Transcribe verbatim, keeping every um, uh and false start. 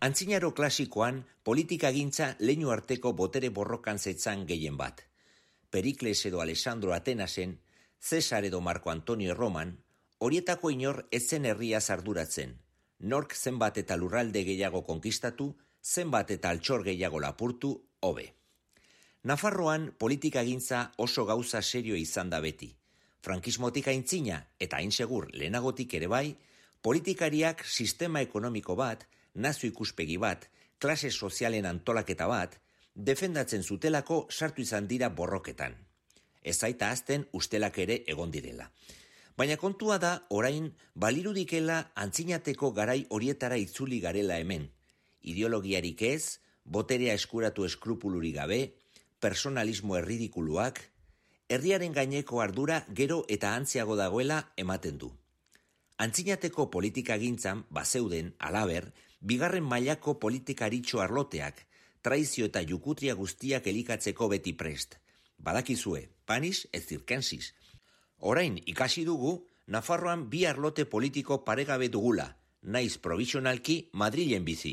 Antzinaro klasikoan politikagintza leinu arteko botere borrokan zetzan gehien bat. Perikles edo Alessandro Atenasen, Cesar edo Marco Antonio Erroman, horietako inor etzen herria arduratzen. Nork zenbat eta lurralde gehiago konkistatu, zenbat eta altxor gehiago lapurtu, hobe. Nafarroan politikagintza oso gauza serio izan da beti. Frankismotik aintzina eta hain segur lehenagotik ere bai, politikariak sistema ekonomiko bat, nazio ikuspegi bat, klase sozialen antolaketa bat, defendatzen zutelako sartu izan dira borroketan. Ez zaita azten ustelak ere egon direla. Baina kontua da orain balirudikela antzinateko garai horietara itzuli garela hemen. Ideologiarik ez, boterea eskuratu eskrupulurik gabe, personalismo erridikuluak, herriaren gaineko ardura gero eta antziago dagoela ematen du. Antzinateko politikagintzan bazeuden, halaber, bigarren mailako politikaritxo arloteak, traizio eta jukutria guztiak elikatzeko beti prest. Badakizue, panis ez zirkensiz. Orain ikasi dugu, Nafarroan bi arlote politiko paregabe dugula, naiz provisionalki Madrilen bizi.